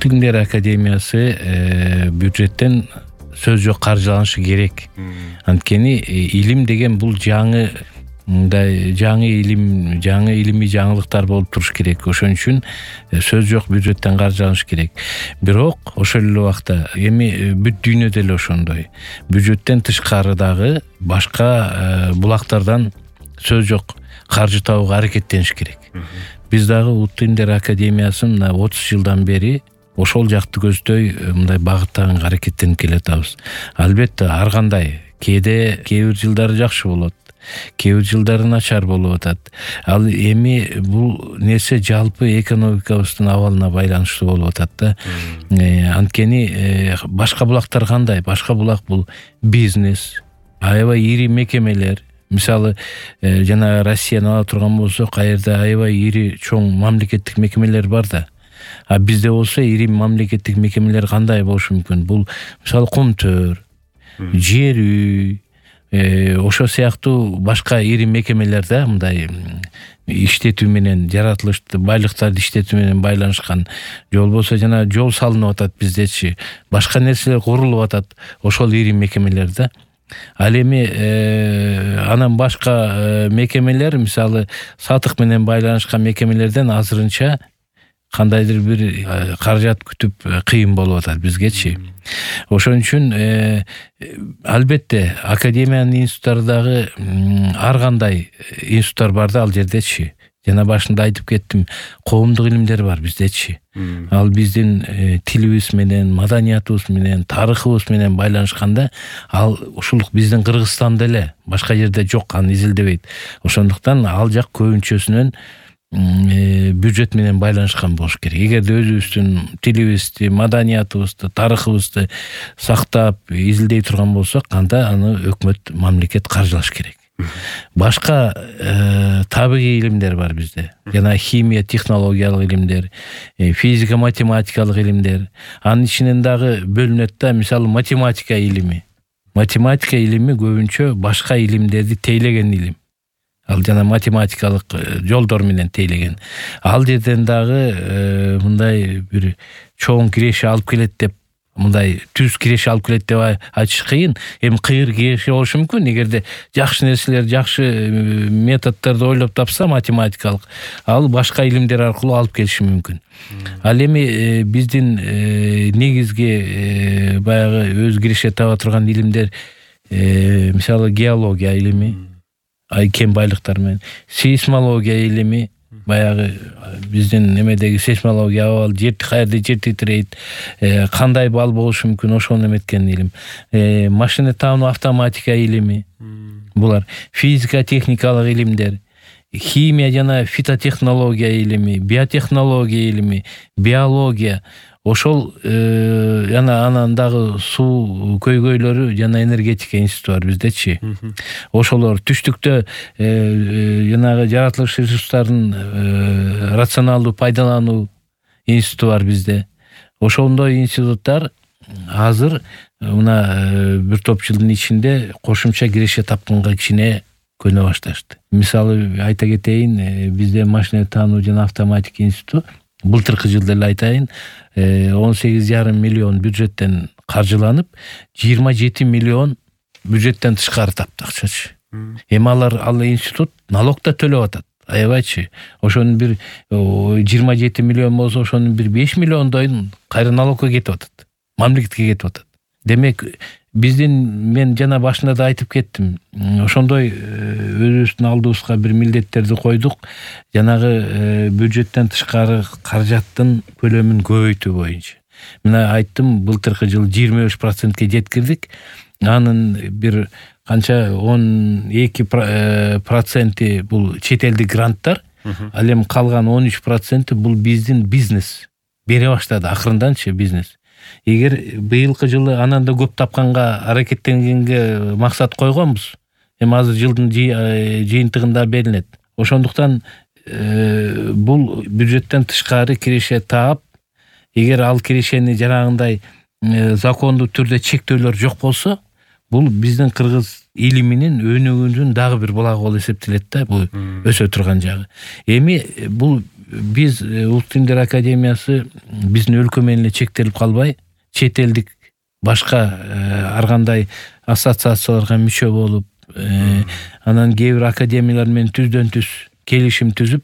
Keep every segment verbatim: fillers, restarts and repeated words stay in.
Тилдер академиясы бюджеттен сөз жок каржыланышы керек. Анткени илим деген бул жаңы мындай жаңы илим, жаңы илимий жаңылыктар болуп туруш керек. Ошон үчүн сөз жок бюджеттен каржыланыш керек. Бирок ошол эле убакта эми бүт дүйнөдө эле ошондой. Бюджеттен тышкары дагы башка булактардан сөз жок каржы табууга аракеттениш керек. Биз дагы Улуттук Илимдер академиясын мына отуз жылдан бери ошол жакты көздөй мындай багыттаган аракеттенип келатабыз. Албетте ар кандай кээде кээ бир жылдары жакшы болот, кээ бир жылдары начар болуп атат. Ал эми бул нерсе жалпы экономикабыздын абалына байланыштуу болуп атат да. Анткени башка булактар кандай? Башка булак бул бизнес, аябай ири мекемелер. Мисалы, жана Россияны ала турган болсок, каерде аябай ири чоң мамлекеттик мекемелер бар да. А бизде болсо ири мамлекеттик мекемелер кандай болушу мүмкүн? Бул мисалы Кумтөр, Жер үй, ошо сыяктуу башка ири мекемелер да, мындай иштетүү менен, жаратылышты байлыктарды иштетүү менен байланышкан. Же болбосо жана жол салынып атат биздечи, башка нерселер курулуп атат, ошол ири мекемелер да. Ал эми анан башка мекемелер, мисалы сатык менен байланышкан мекемелерден азырынча кандайдыр бир каражат күтүп кыйын болуп атат бизгечи. Ошон үчүн албетте академиянын институттары дагы ар кандай институттар бар да ал жердечи. Жана башында айтып кеттим, коомдук илимдер бар биздечи. Ал биздин тилибиз менен, маданиятыбыз менен, тарыхыбыз менен байланышканда, ал ушул биздин Кыргызстанда эле, башка жерде жок, аны изилдебейт. Ошондуктан ал жак көбүнчөсүнөн бюджет менен байланышкан болуш керек. Эгерде өзүбүздүн тилибизди, маданиятыбызды, тарыхыбызды сактап, изилдей турган болсок, анда аны өкмөт, мамлекет каржылаш керек. Башка табигый илимдер бар бизде. Жана химия, технологиялык илимдер, физика, математикалык илимдер. Анын ичинен дагы бөлүнөт да, мисалы математика илими. Математика илими көбүнчө башка илимдерди тейлеген илим. Ал жана математикалык жолдор менен тейлеген. Ал жерден дагы мындай бир чоң киреше алып келет деп, мындай түз киреше алып келет деп айтыш кыйын. Эми кыйыр киреше болушу мүмкүн, эгерде жакшы нерселер, жакшы методдорду ойлоп тапса математикалык, ал башка илимдер аркылуу алып келиши мүмкүн. Ал эми биздин негизги баягы өз киреше таба турган илимдер, мисалы геология илими, кен байлыктар менен, сейсмология илими, баягы биздин немедеги сейсмология абал, жер каерде жер титирейт, кандай бал болушу мүмкүн, ошону эметкен илим. Машина таануу, автоматика илими, булар физика, техникалык илимдер, химия жана фитотехнология илими, биотехнология илими, биология. Ошол жана анан дагы суу көйгөйлөрү жана энергетика институту бар биздечи. Ошолор түштүктө жанагы жаратылыш ресурстарын рационалдуу пайдалануу институту бар бизде. Ошондой институттар азыр мына бир топ жылдын ичинде кошумча киреше тапканга кичине көнө башташты. Мисалы айта кетейин, бизде машина таануу жана автоматика институту былтыркы жылда эле айтайын, он сегиз жарым миллион бюджеттен каржыланып, жыйырма жети миллион бюджеттен тышкары тапты акчачы. Эми алар ал институт налог да төлөп атат. Аябайчы. Ошонун бир жыйырма жети миллион болсо, ошонун бир беш миллиондойун кайра налогко кетип атат. Мамлекетке кетип атат. Демек, биздин, мен жана башында да айтып кеттим, ошондой өзүбүздүн алдыбызга бир милдеттерди койдук, жанагы бюджеттен тышкары каражаттын көлөмүн көбөйтүү боюнча. Мына айттым, былтыркы жылы жыйырма беш процентке жеткирдик. Анын бир канча он эки проценти бул чет элдик гранттар, ал эми калган он үч проценти бул биздин бизнес. Бере баштады акырынданчы бизнес. Эгер быйылкы жылы анан да көп тапканга аракеттенгенге максат койгонбуз. Эми азыр жылдын жыйынтыгында берилет. Ошондуктан бул бюджеттен тышкары киреше таап, эгер ал кирешени жарагындай закондуу түрдө чектөөлөр жок болсо, бул биздин кыргыз илиминин өнүгүүнүн дагы бир булагы болуп эсептелет да, бул өсө турган жагы. Эми бул биз Улуттук Илимдер Академиясы биздин өлкө менен эле чектелип калбай, чет элдик башка ар кандай ассоциацияларга мүчө болуп, анан кээ бир академиялар менен түздөн түз келишим түзүп,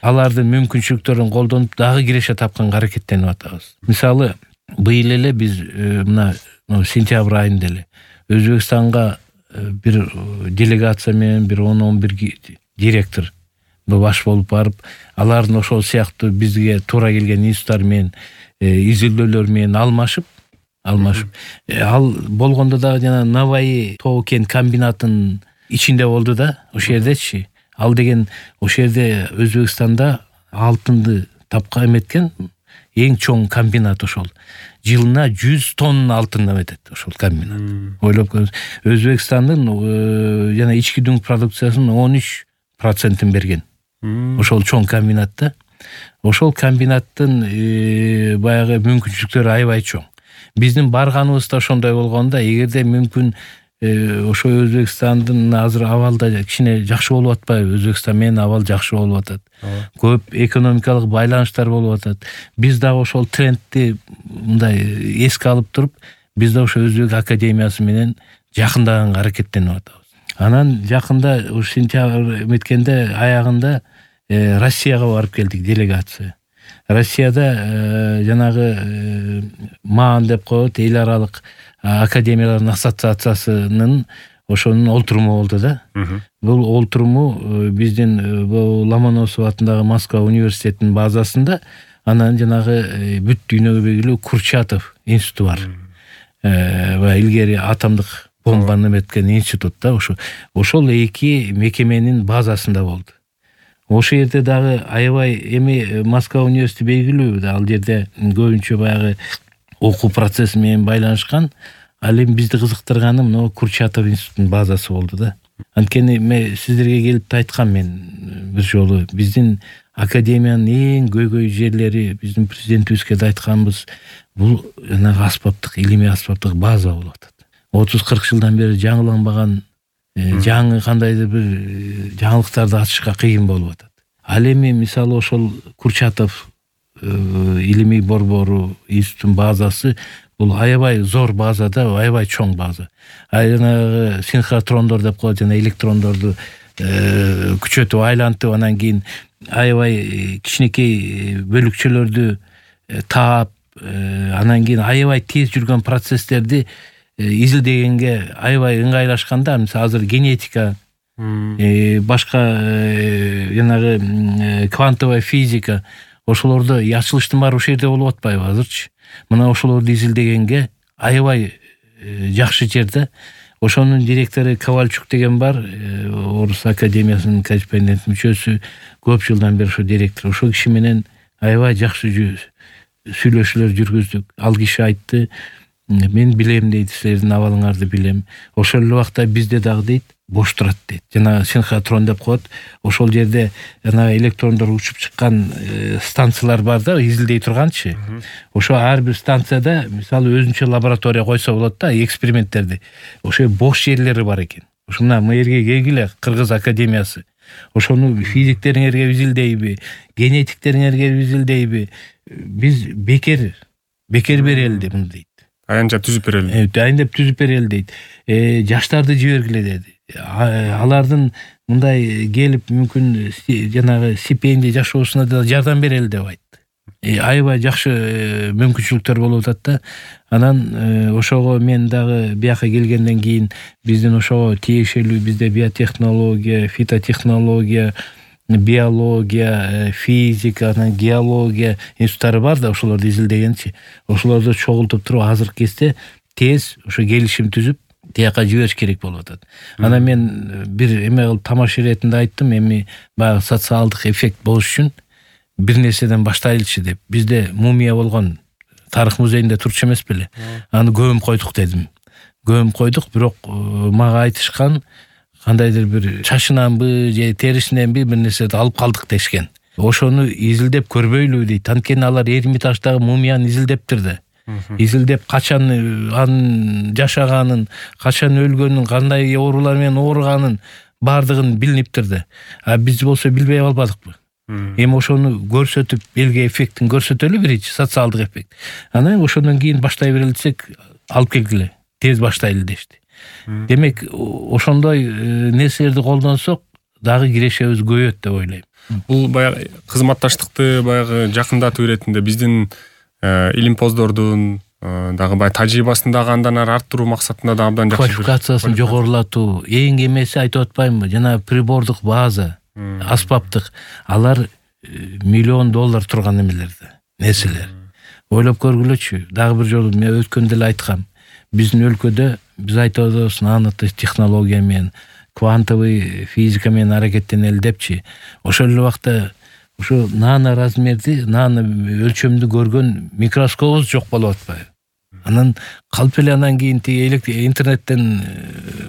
алардын мүмкүнчүлүктөрүн колдонуп дагы киреше тапканга аракеттенип атабыз. Мисалы, быйыл эле биз мына сентябрь айында эле Өзбекстанга бир делегация менен бир он он бир директор баш болуп барып, алардын ошол сыяктуу бизге туура келген институттар менен изилдөөлөр менен алмашып, алмашып, ал болгондо дагы жана Наваи тоо кен комбинатынын ичинде болду да, ошол жердечи. Ал деген ошол жерде Өзбекстанда алтынды тапка эметкен эң чоң комбинат ошол. Жылына жүз тонна алтын эметет ошол комбинат. Ойлоп көрүңүз, Өзбекстандын жана ички дүң продукциясынын он үч процентин берген. Ошол чоң комбинатта. Ошол комбинаттын баягы мүмкүнчүлүктөрү аябай чоң. Биздин барганыбызда ошондой болгондо, эгерде мүмкүн ошо Өзбекстандын азыр абалда кичине жакшы болуп атпайбы? Өзбекстан менен абал жакшы болуп атат. Көп экономикалык байланыштар болуп атат. Биз дагы ошол трендти мындай эске алып туруп, биз да ошо Өзбек академиясы менен жакындаганга аракеттенип атабыз. Анан жакында ушу сентябрь эметкенде аягында Россияга барып келдик делегация. Россияда жанагы МААН деп коет, эл аралык академиялардын ассоциациясынын ошонун олтуруму болду да. Бул олтуруму биздин Ломоносов атындагы Москва университетинин базасында, анан жанагы бүт дүйнөгө белгилүү Курчатов институту бар. Ва илгери атомдук бомбаны эметкен институт да, ошо. Ошол эки мекеменин базасында болду. Ошол жерде дагы аябай эми Москва университети белгилүү да, ал жерде көбүнчө баягы окуу процесси менен байланышкан. Ал эми бизди кызыктырганы мына Курчатов институтунун базасы болду да. Анткени мен сиздерге келип айткам, мен бир жолу биздин академиянын эң көйгөй жерлери, биздин президентибизге да айтканбыз, бул жанагы аспаптык, илимий аспаптык база болуп атат. отуз кырк жылдан бери жаңыланбаган, жаңы кандайдыр бир жаңылыктарды ачышка кыйын болуп атат. Ал эми мисалы ошол Курчатов илимий борбору институттун базасы бул аябай зор база да, аябай чоң база. Жанагы синхротрондор деп коет, жана электрондорду күчөтүп айлантып, анан кийин аябай кичинекей бөлүкчөлөрдү таап, анан кийин аябай тез жүргөн процесстерди изилдегенге аябай ыңгайлашканда, мисалы азыр генетика, башка жанагы квантовая физика, ошолордо ачылыштын баары ошол жерде болуп атпайбы азырчы? Мына ошолорду изилдегенге аябай жакшы жерде. Ошонун директору Ковальчук деген бар, Орус академиясынын корреспондент мүчөсү, көп жылдан бери ошо директор. Ошол киши менен аябай жакшы сүйлөшүүлөр жүргүздүк. Ал киши айтты, мен билем дейт, силердин абалыңарды билем. Ошол эле убакта бизде дагы дейт, бош турат дейт. Жана синхротрон деп коет. Ошол жерде жана электрондор учуп чыккан станциялар бар да, изилдей турганчы. Ошо ар бир станцияда мисалы өзүнчө лаборатория койсо болот да, эксперименттерди. Ошо бош жерлери бар экен. Ошо мына мэрге келгиле, Кыргыз академиясы. Ошону физиктериңерге изилдейби, генетиктериңерге изилдейби? Биз бекер, бекер берели деп дейт. Аянчап түзүп берели. Аянчап түзүп берели дейт. Жаштарды жибергиле деди. Алардын мындай келип мүмкүн жанагы стипендия жашоосуна да жардам берели деп айтты. Аябай жакшы мүмкүнчүлүктөр болуп атат да. Анан ошого мен дагы бияка келгенден кийин биздин ошого тиешелүү, бизде биотехнология, фитотехнология, биология, физика, анан геология институттары бар да, ошолорду изилдегенчи. Ошолорду чогултуп туруп азыркы кезде тез ошо келишим түзүп тияка жибериш керек болуп атат. Анан мен бир эме кылып тамаша иретинде айттым, эми баягы социалдык эффект болуш үчүн бир нерседен баштайлычы деп. Бизде мумия болгон тарых музейинде турчу эмес беле? Аны көмүп койдук дедим. Көмүп койдук, бирок мага айтышкан, кандайдыр бир чачынанбы же терисиненби бир нерседи алып калдык дешкен. Ошону изилдеп көрбөйлү дейт. Анткени алар Эрмитаждагы мумияны изилдептир да. Изилдеп качан анын жашаганын, качан өлгөнүн, кандай оорулар менен ооруганын бардыгын билиниптир да. А биз болсо билбей калбадыкпы? Эми ошону көрсөтүп элге эффектин көрсөтөлү, биринчи социалдык эффект. Анан ошондон кийин баштай берели десек, алып келгиле, тез баштайлы дешти. Демек, ошондой нерселерди колдонсок, дагы кирешебиз көбөйөт деп ойлойм. Бул баягы кызматташтыкты баягы жакындатуу иретинде биздин илимпоздордун дагы баягы тажрыйбасын дагы андан ары арттыруу максатында да абдан жакшы. Квалификациясын жогорулатуу, эң эмеси айтып атпаймынбы, жана прибордук база, аспаптык, алар миллион доллар турган эмелерди, нерселер. Ойлоп көргүлөчү. Дагы бир жолу мен өткөндө эле айткам. Биздин өлкөдө биз айтып атабыз, нанотехнология менен, квантовый физика менен аракеттенели депчи. Ошол эле убакта ошо нано размерди, нано өлчөмдү көргөн микроскопубуз жок болуп атпайбы? Анан калп эле анан кийин тиги интернеттен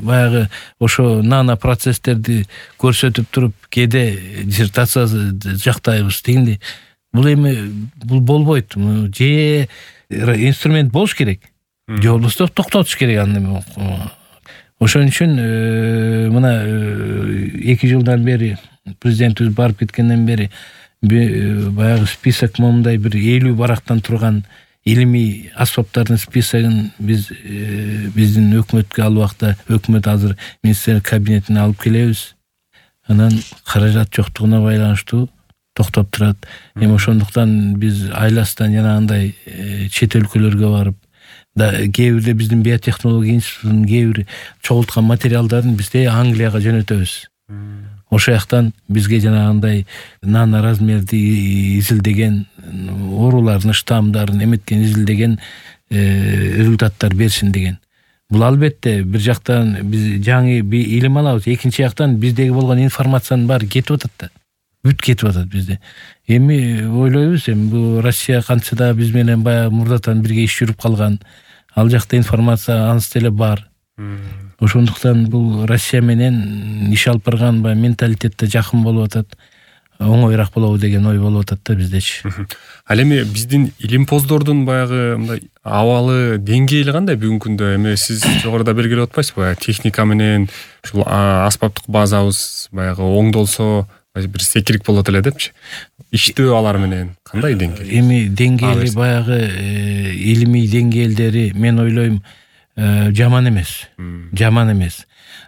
баягы ошо нано процесстерди көрсөтүп туруп, кээде диссертация жактайбыз дегенде, бул эми бул болбойт. Же инструмент болуш керек, же болбосо токтотуш керек аны. Ошон үчүн мына эки жылдан бери президентибиз барып кеткенден бери баягы список момундай бир элүү барактан турган илимий аспаптардын списогун биз биздин өкмөткө ал убакта өкмөт азыр министрлер кабинетине алып келебиз. Анан каражат жоктугуна байланыштуу токтоп турат. Эми ошондуктан биз айластан жанагындай чет өлкөлөргө барып, да кээ бирде биздин биотехнология институтунун кээ бир чогулткан материалдарын бизде Англияга жөнөтөбүз. Ошо жактан бизге жанагындай нано размерди изилдеген оорулардын штаммдарын эметкен изилдеген результаттар берсин деген. Бул албетте бир жактан биз жаңы илим алабыз, экинчи жактан биздеги болгон информациянын баары кетип атат да. Бүт кетип атат бизде. Эми ойлойбуз, эми бул Россия кантса да биз менен баягы мурдатан бирге иш жүрүп калган. Ал жакта информация аныс деле бар. Ошондуктан бул Россия менен иш алып барган баягы менталитетте жакын болуп атат. Оңоюраак болобу деген ой болуп атат да биздечи. Ал эми биздин илимпоздордун баягы мындай абалы деңгээли кандай бүгүнкү күндө? Эми сиз жогоруда белгилеп атпайсызбы? Техника менен ушул аспаптык базабыз баягы оңдолсо бир секирик болот эле депчи. Иштөө алар менен кандай деңгээл? Эми деңгээли баягы илимий деңгээлдери мен ойлойм жаман эмес. Жаман эмес.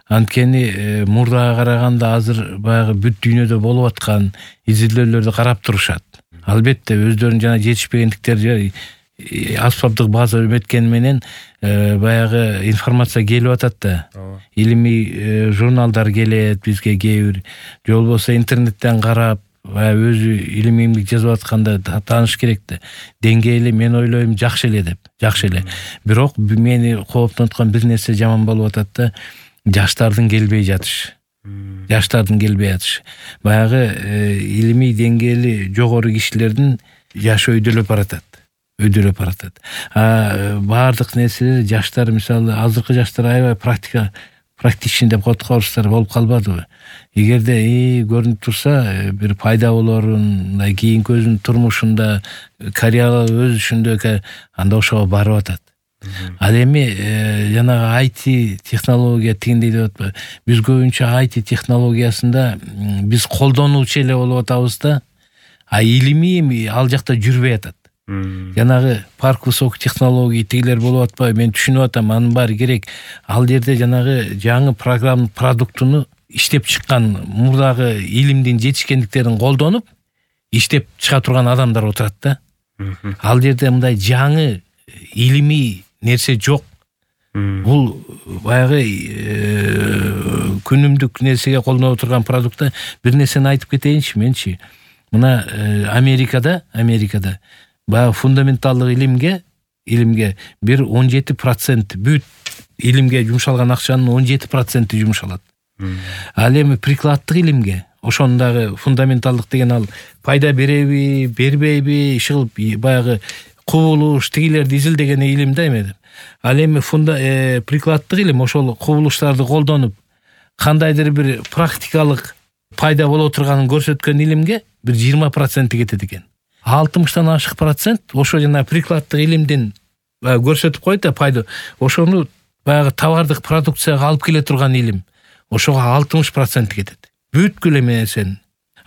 Анткени мурдага караганда азыр баягы бүт дүйнөдө болуп аткан изилдөөлөрдү карап турушат. Албетте өздөрүнүн жана жетишпегендиктери аспаптык база өметкен менен баягы информация келип атат да. Илимий журналдар келет бизге кээ бир, же болбосо интернеттен карап, өзү илимий эмгек жазып атканда тааныш керек да. Деңгээли мен ойлойм жакшы эле деп, жакшы эле. Бирок мени кооптонуткан бир нерсе жаман болуп атат да. Жаштардын келбей жатышы. Жаштардын келбей жатышы. Баягы илимий деңгээли жогору кишилердин жашы өйдөлөп баратат. Өйдөлөп баратат. А баардык нерселер жаштар, мисалы, азыркы жаштар аябай практика практичный деп коткорустар болуп калбадыбы? Эгерде көрүнүп турса, бир пайда болорун, мындай кийинки өзүнүн турмушунда, карьера өсүшүндө анда ошого барып атат. Ал эми жанагы ай ти технология тигиндей деп атпайбы? Биз көбүнчө ай ти технологиясында биз колдонуучу эле болуп атабыз да, а илимий ал жакта жүрбөй атат. Жанагы парк высоких технологий тигилер болуп атпайбы? Мен түшүнүп атам, анын баары керек. Ал жерде жанагы жаңы программа продуктуну иштеп чыккан, мурдагы илимдин жетишкендиктерин колдонуп иштеп чыга турган адамдар отурат да. Ал жерде мындай жаңы илимий нерсе жок. Бул баягы күнүмдүк нерсеге колдонуп турган продуктта бир нерсени айтып кетейинчи менчи. Мына Америкада, Америкада баягы фундаменталдык илимге, илимге бир он жети процент бүт илимге жумшалган акчанын он жети проценти жумшалат. Ал эми прикладдык илимге, ошондагы фундаменталдык деген ал пайда береби, бербейби, ишыл баягы кубулуш тигилерди изилдеген илим да эме. Ал эми фунда прикладдык илим ошол кубулуштарды колдонуп кандайдыр бир практикалык пайда боло турганын көрсөткөн илимге бир жыйырма проценти кетет экен. алтымыштан ашык процент ошо жана прикладдык илимдин көрсөтүп койт да пайда. Ошону баягы товардык продукцияга алып келе турган илим ошого алтымыш процент кетет. Бүткүл эме нерсени.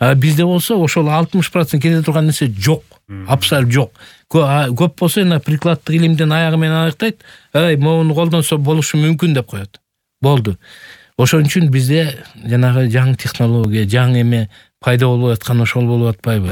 А бизде болсо ошол алтымыш процент кете турган нерсе жок, абсолют жок. Көп болсо эне прикладдык илимден аягы менен аныктайт, ай моуну колдонсо болушу мүмкүн деп коет. Болду. Ошон үчүн бизде жанагы жаңы технология, жаңы эме пайда болуп аткан ошол болуп атпайбы?